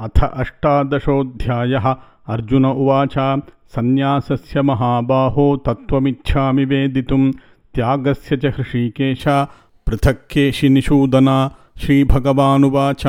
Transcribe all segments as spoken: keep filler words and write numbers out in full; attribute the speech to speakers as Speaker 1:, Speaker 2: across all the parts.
Speaker 1: अथ अष्टादशोऽध्यायः। अर्जुन उवाच सन्न्यासस्य महाबाहो तत्त्वमिच्छामि वेदितुं त्यागस्य च हृषीकेश पृथक् केशिनिषूदन। श्रीभगवानुवाच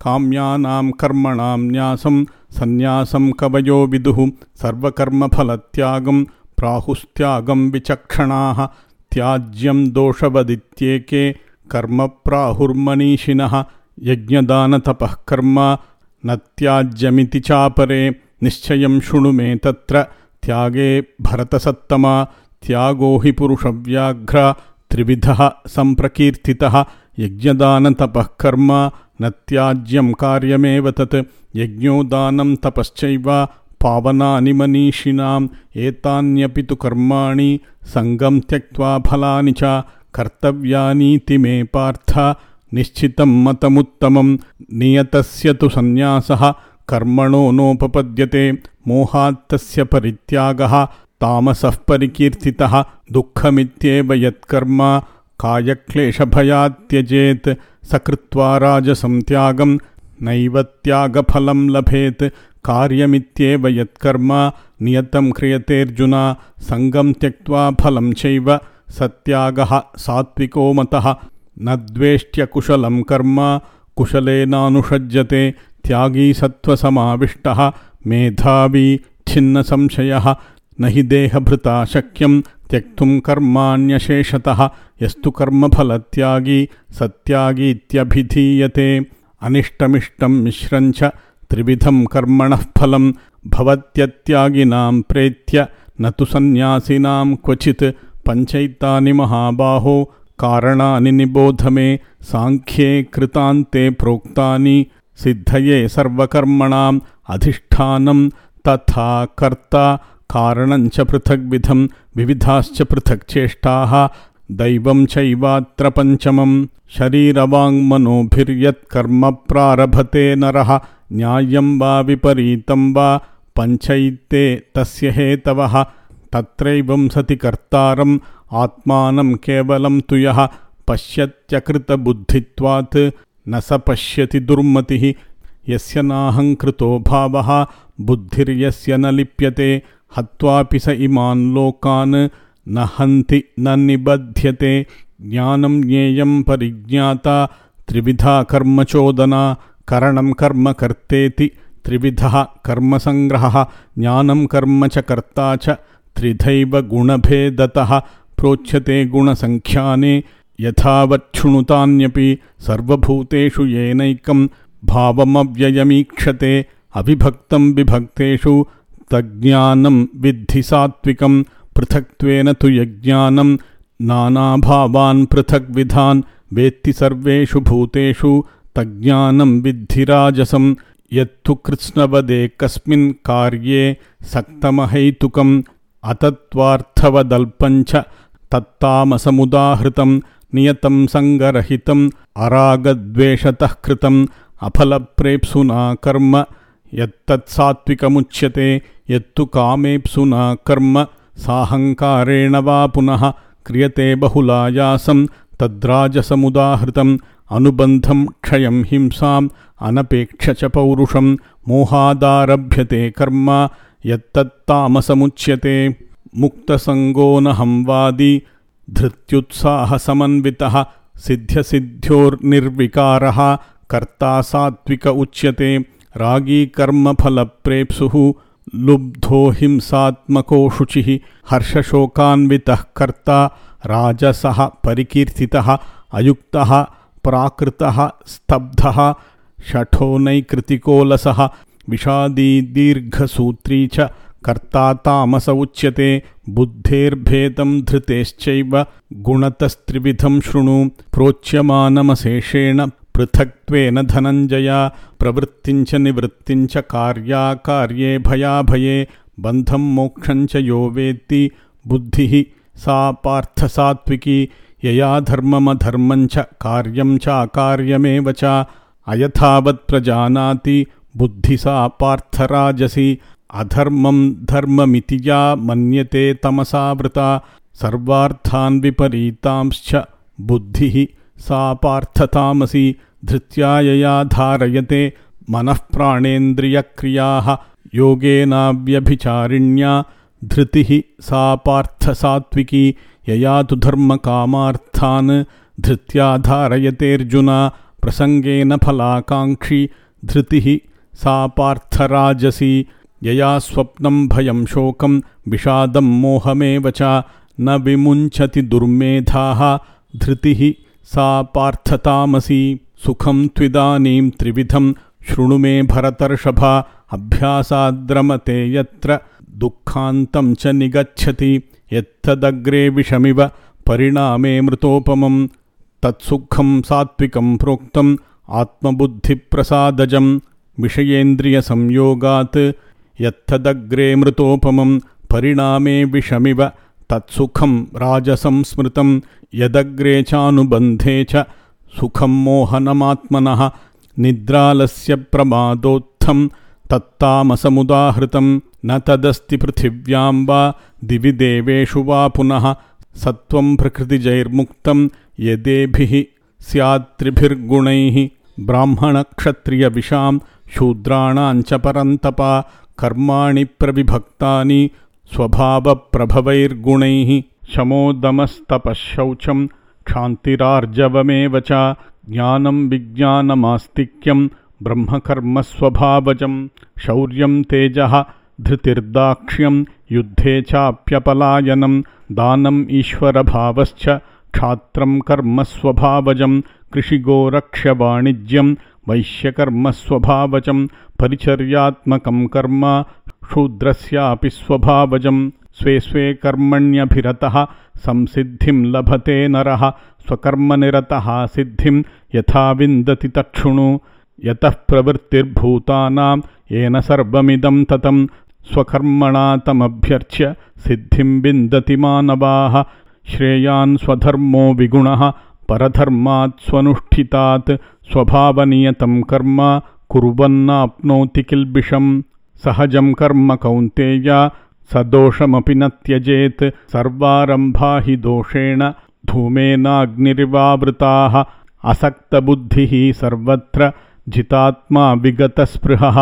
Speaker 1: काम्यानां कर्मणां न्यासं सन्न्यासं कवयो विदुः सर्वकर्मफलत्यागं प्राहुस्त्यागं विचक्षणाः। त्याज्यं दोषवदित्येके कर्म प्राहुर्मनीषिणः यज्ञदानतपः कर्म न त्याज्यमिति चापरे। निश्चयं शृणु मे तत्र त्यागे भरतसत्तमा। त्यागो हि पुरुषव्याघ्र त्रिविधः सम्प्रकीर्तितः यज्ञदानतपः कर्म न त्याज्यं कार्यमेव तत्। यज्ञो दानं तपश्चैव पावनानि मनीषिणाम् एतान्यपि तु कर्माणि सङ्गं त्यक्त्वा फलानि च कर्तव्यानीति मे पार्थ निश्चितं मतमुत्तमं। नियतस्य तु सन्न्यासः कर्मणो नोपपद्यते मोहात्तस्य परित्यागः तामसः परिकीर्तितः। दुःखमित्येव यत्कर्म कायक्लेशभयात् त्यजेत् स कृत्वा राजसं त्यागं नैव त्यागफलं लभेत्। कार्यमित्येव यत्कर्म नियतं क्रियतेऽर्जुन सङ्गं त्यक्त्वा फलं चैव सत्यागः सात्विको मतः। न द्वेष्ट्यकुशलं कर्म कुशलेनानुषज्यते त्यागी सत्त्वसमाविष्टः मेधावी छिन्नसंशयः। न हि देहभृता शक्यं त्यक्तुं कर्माण्यशेषतः यस्तु कर्मफलत्यागी सत्यागीत्यभिधीयते। अनिष्टमिष्टं मिश्रञ्च त्रिविधं कर्मणः फलं भवत्यत्यागिनां प्रेत्य न तु सन्न्यासिनां क्वचित्। पञ्चैतानि महाबाहो कारणानि निबोध मे साङ्ख्ये कृतान्ते प्रोक्तानि सिद्धये सर्वकर्मणाम् अधिष्ठानं तथा कर्ता कारणञ्च पृथग्विधं विविधाश्च पृथक् चेष्टाः दैवं चैवात्र पञ्चमं। शरीरवाङ्मनोभिर्यत्कर्म प्रारभते नरः न्याय्यं वा विपरीतं वा पञ्चैते तस्य हेतवः। तत्रैवं सति कर्तारम् आत्मानं केवलं तु यः पश्यत्यकृतबुद्धित्वात् न स पश्यति दुर्मतिः। यस्य नाहङ्कृतो भावः बुद्धिर्यस्य न लिप्यते हत्वापि स इमान् लोकान् न हन्ति न निबध्यते। ज्ञानं ज्ञेयं परिज्ञाता त्रिविधा कर्मचोदना करणं कर्म कर्तेति त्रिविधः कर्मसङ्ग्रहः। ज्ञानं कर्म च कर्ता च त्रिधैव गुणभेदतः प्रोच्यते गुणसङ्ख्याने यथावच्छृणुतान्यपि सर्वभूतेषु येनैकं भावमव्ययमीक्षते अविभक्तं विभक्तेषु तज्ज्ञानं विद्धि सात्विकं। पृथक्त्वेन तु यज्ञानं नानाभावान् पृथग्विधान् वेत्ति सर्वेषु भूतेषु तज्ज्ञानं विद्धि राजसं। यत्तु कृत्स्नवदेकस्मिन् कार्ये सक्तमहैतुकम् अतत्त्वार्थवदल्पञ्च तत्तामसमुदाहृतं नियतं सङ्गरहितं अरागद्वेषतः कृतं अफलप्रेप्सुना कर्म यत्तत्सात्विकमुच्यते। यत्तु कामेप्सुना कर्म साहङ्कारेण वा पुनः क्रियते बहुलायासं तद्राजसमुदाहृतम्। अनुबन्धं क्षयं हिंसाम् अनपेक्ष च पौरुषं मोहादारभ्यते कर्म यत्तत्तामसमुच्यते। मुक्तसङ्गो नहंवादी धृत्युत्साहसमन्वितः सिद्ध्यसिद्ध्योर्निर्विकारः कर्ता सात्विक उच्यते। रागी कर्मफलप्रेप्सुः लुब्धो हिंसात्मको शुचिः हर्षशोकान्वितः कर्ता राजसः परिकीर्तितः। अयुक्तः प्राकृतः स्तब्धः शठो नैकृतिकोलसः विषादी दीर्घसूत्री च कर्ता तामस उच्यते। बुद्धेर्भेदं धृतेश्चैव गुणतस्त्रिविधं शृणु प्रोच्यमानमशेषेण पृथक्त्वेन धनञ्जय। प्रवृत्तिञ्च निवृत्तिञ्च कार्याकार्ये भयाभये बन्धं मोक्षञ्च यो वेत्ति बुद्धिः सा पार्थसात्विकी। यया धर्ममधर्मञ्च कार्यं चाकार्यमेव च अयथावत् प्रजानाति बुद्धि सा पार्थराजसी। अधर्मं धर्ममिति या मन्यते तमसावृता सर्वार्थान् विपरीतांश्च बुद्धिः सा पार्थतामसी। धृत्या यया धारयते मनःप्राणेन्द्रियक्रियाः योगेनाव्यभिचारिण्या धृतिः सा पार्थसात्विकी यया तु धर्मकामार्थान् धृत्या धारयतेऽर्जुन प्रसंगेन फलाकाङ्क्षी धृतिः सा पार्थराजसी यया स्वप्नं भयं शोकं विषादं मोहमेव च न विमुञ्चति दुर्मेधाः धृतिः सा पार्थतामसी सुखं त्विदानीं त्रिविधं शृणु मे भरतर्षभ अभ्यासाद्रमते यत्र दुःखान्तं च निगच्छति यत्तदग्रे विषमिव परिणामे मृतोपमं तत्सुखं सात्विकं प्रोक्तम् आत्मबुद्धिप्रसादजं विषयेन्द्रियसंयोगात् यत्तदग्रे मृतोपमं परिणामे विषमिव तत्सुखं राजसं स्मृतं यदग्रे चानुबन्धे च सुखं मोहनमात्मनः निद्रालस्य प्रमादोत्थं तत्तामसमुदाहृतं न तदस्ति पृथिव्यां वा दिवि देवेषु वा पुनः सत्वं प्रकृतिजैर्मुक्तं यदेभिः स्यात्त्रिभिर्गुणैः ब्राह्मणक्षत्रियविषां शूद्राणां च परन्तप कर्माणि प्रविभक्तानि स्वभावप्रभवैर्गुणैः शमोदमस्तपःशौचं क्षान्तिरार्जवमेव च ज्ञानं विज्ञानमास्तिक्यं ब्रह्मकर्मस्वभावजं शौर्यं तेजः धृतिर्दाक्ष्यं युद्धे चाप्यपलायनं दानम् ईश्वरभावश्च क्षात्रं कर्मस्वभावजं कृषिगोरक्ष्यवाणिज्यं वैश्यकर्मस्वभावजं परिचर्यात्मकं कर्म शूद्रस्यापि स्वभावजं स्वे स्वे कर्मण्यभिरतः संसिद्धिं लभते नरः स्वकर्मनिरतः सिद्धिं यथा विन्दति तच्छृणु यतः प्रवृत्तिर्भूतानां येन सर्वमिदं ततं स्वकर्मणा तमभ्यर्च्य सिद्धिं विन्दति मानवाः श्रेयान् स्वधर्मो विगुणः परधर्मात् स्वनुष्ठितात् स्वभावनियतं कर्म कुर्वन्नाप्नोति किल्बिषं सहजं कर्म कौन्तेय सदोषमपि न त्यजेत् सर्वारम्भा हि दोषेण धूमेनाग्निरिवावृताः असक्तबुद्धिः सर्वत्र जितात्मा विगतस्पृहः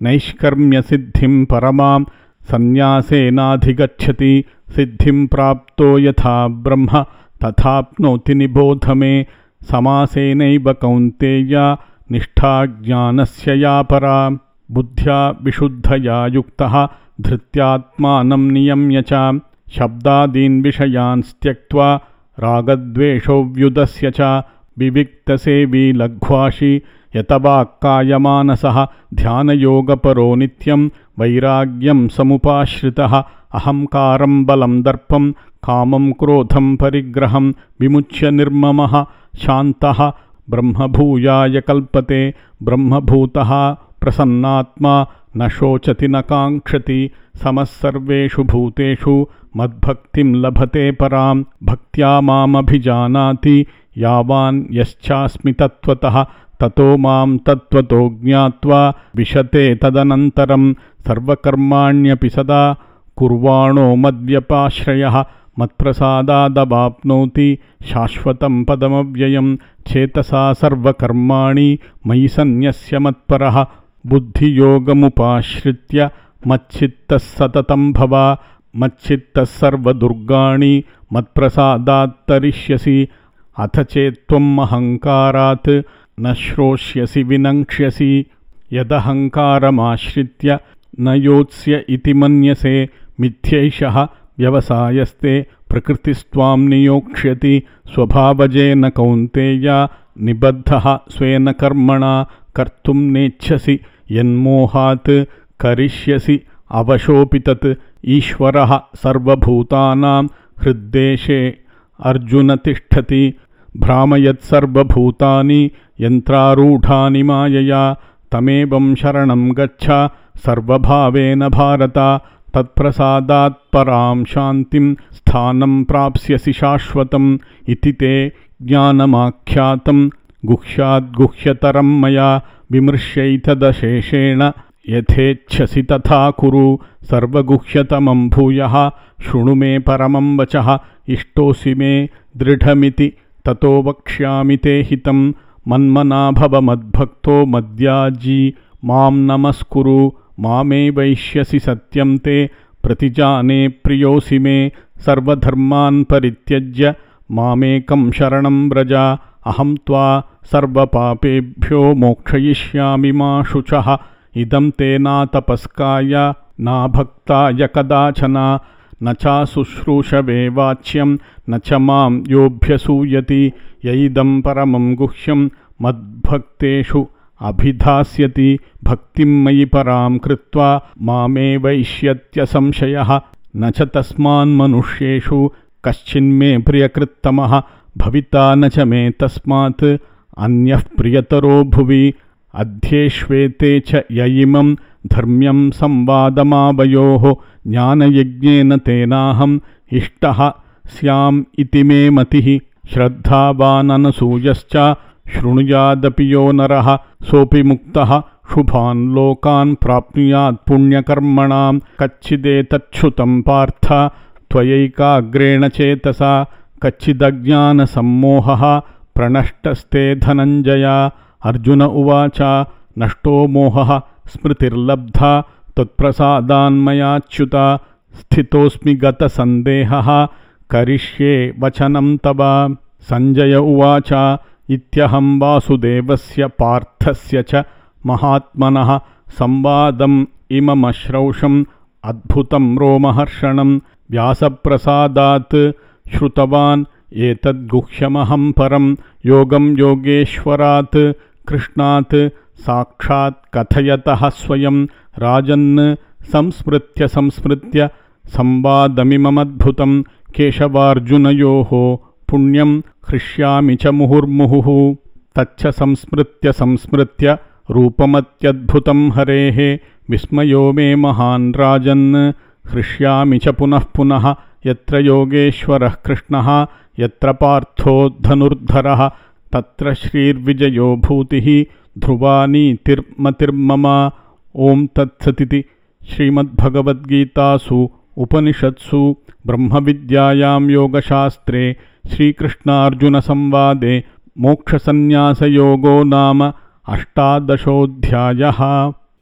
Speaker 1: नैष्कर्म्यसिद्धिं परमां सन्न्यासेनाधिगच्छति सिद्धिं प्राप्तो यथा ब्रह्म तथाप्नोति निबोध मे समासेनैव कौन्तेय निष्ठा ज्ञानस्य या परा बुद्ध्या विशुद्धया युक्तः धृत्यात्मानं नियम्य च शब्दादीन् विषयान् त्यक्त्वा रागद्वेषोऽव्युदस्य च विविक्तसेवी लघ्वाशी यतवाक्कायमानसः ध्यानयोगपरो नित्यं वैराग्यं समुपाश्रितः अहंकारं बलं दर्पं कामं क्रोधं परिग्रहं विमुच्य निर्ममः शान्तः ब्रह्मभूयाय कल्पते ब्रह्मभूतः प्रसन्नात्मा न शोचति न काङ्क्षति समः सर्वेषु भूतेषु मद्भक्तिं लभते परां भक्त्या मामभिजानाति यावान् यश्चास्मि तत्त्वतः ततो मां तत्त्वतो ज्ञात्वा विशते तदनन्तरं सर्वकर्माण्यपि सदा कुर्वाणो मद्व्यपाश्रयः मत्प्रसादादवाप्नोति शाश्वतं पदमव्ययं चेतसा सर्वकर्माणि मयि सन्न्यस्य मत्परः बुद्धियोगमुपाश्रित्य मच्चित्तः सततं भव मच्चित्तः सर्वदुर्गाणि मत्प्रसादात् तरिष्यसि अथ चेत्त्वम् अहङ्कारात् न श्रोष्यसि विनङ्क्ष्यसि यदहङ्कारमाश्रित्य न योत्स्य इति मन्यसे मिथ्यैषः व्यवसायस्ते प्रकृतिस्त्वां नियोक्ष्यति स्वभावजेन कौन्तेय निबद्धः स्वेन कर्मणा कर्तुं नेच्छसि यन्मोहात् करिष्यसि अवशोऽपि तत् ईश्वरः सर्वभूतानां हृद्देशे अर्जुन तिष्ठति भ्रामयत्सर्वभूतानि यन्त्रारूढानि मायया तमेवं शरणं गच्छ सर्वभावेन भारत तत्प्रसादात् परां शान्तिं स्थानं प्राप्स्यसि शाश्वतम् इति ते ज्ञानमाख्यातं गुह्याद्गुह्यतरं मया विमृश्यैतदशेषेण यथेच्छसि तथा कुरु सर्वगुह्यतमं भूयः शृणु मे परमं वचः इष्टोऽसि मे दृढमिति ततो वक्ष्यामि ते हितं मन्मना भव मद्भक्तो मद्याजी मां नमस्कुरु मामे वैष्यसि सत्यं ते प्रतिजाने प्रियोऽसि मे सर्वधर्मान् परित्यज्य मामेकं शरणं व्रज अहं त्वा सर्वपापेभ्यो मोक्षयिष्यामि मा शुचः इदं ते नातपस्काय नाभक्ताय कदाचन न चाशुश्रूषवे वाच्यं न च मां योऽभ्यसूयति यैदं परमं गुह्यं मद्भक्तेषु अभिधास्यति भक्तिं मयि परां कृत्वा मामेवैष्यत्यसंशयः न च तस्मान्मनुष्येषु कश्चिन्मे प्रियकृत्तमः भविता न च मे तस्मात् अन्यः प्रियतरो भुवि अध्येष्वेते च य इमं धर्म्यं संवादमावयोः ज्ञानयज्ञेन तेनाहम् इष्टः स्याम् इति मे मतिः श्रद्धावाननसूयश्च शृणुयादपि यो नरः सोऽपि मुक्तः शुभान् लोकान् प्राप्नुयात् पुण्यकर्मणां कच्चिदेतच्छ्रुतं पार्थ त्वयैकाग्रेण चेतसा कच्चिदज्ञानसम्मोहः प्रणष्टस्ते धनञ्जय अर्जुन उवाच नष्टो मोहः स्मृतिर्लब्धा त्वत्प्रसादान्मयाच्युत स्थितोऽस्मि गतसन्देहः करिष्ये वचनं तव सञ्जय उवाच इत्यहं वासुदेवस्य पार्थस्य च महात्मनः संवादम् इममश्रौषम् अद्भुतं रोमहर्षणं व्यासप्रसादात् श्रुतवान् एतद्गुह्यमहं परं योगं योगेश्वरात् कृष्णात् साक्षात् कथयतः स्वयं राजन् संस्मृत्य संस्मृत्य संवादमिममद्भुतं केशवार्जुनयोः पुण्यं हृष्यामि च मुहुर्मुहुः तच्च संस्मृत्य संस्मृत्य रूपमत्यद्भुतं हरेः विस्मयो मे महान् राजन् हृष्यामि च पुनः पुनः यत्र योगेश्वरः कृष्णः यत्र पार्थो धनुर्धरः तत्र श्रीर्विजयो भूतिः ध्रुवा नीतिर्मतिर्मम ॐ तत्सदिति श्रीमद्भगवद्गीतासु उपनिषत्सु ब्रह्मविद्यायां योगशास्त्रे श्रीकृष्णार्जुनसंवादे मोक्षसन्न्यासयोगो नाम अष्टादशोऽध्यायः।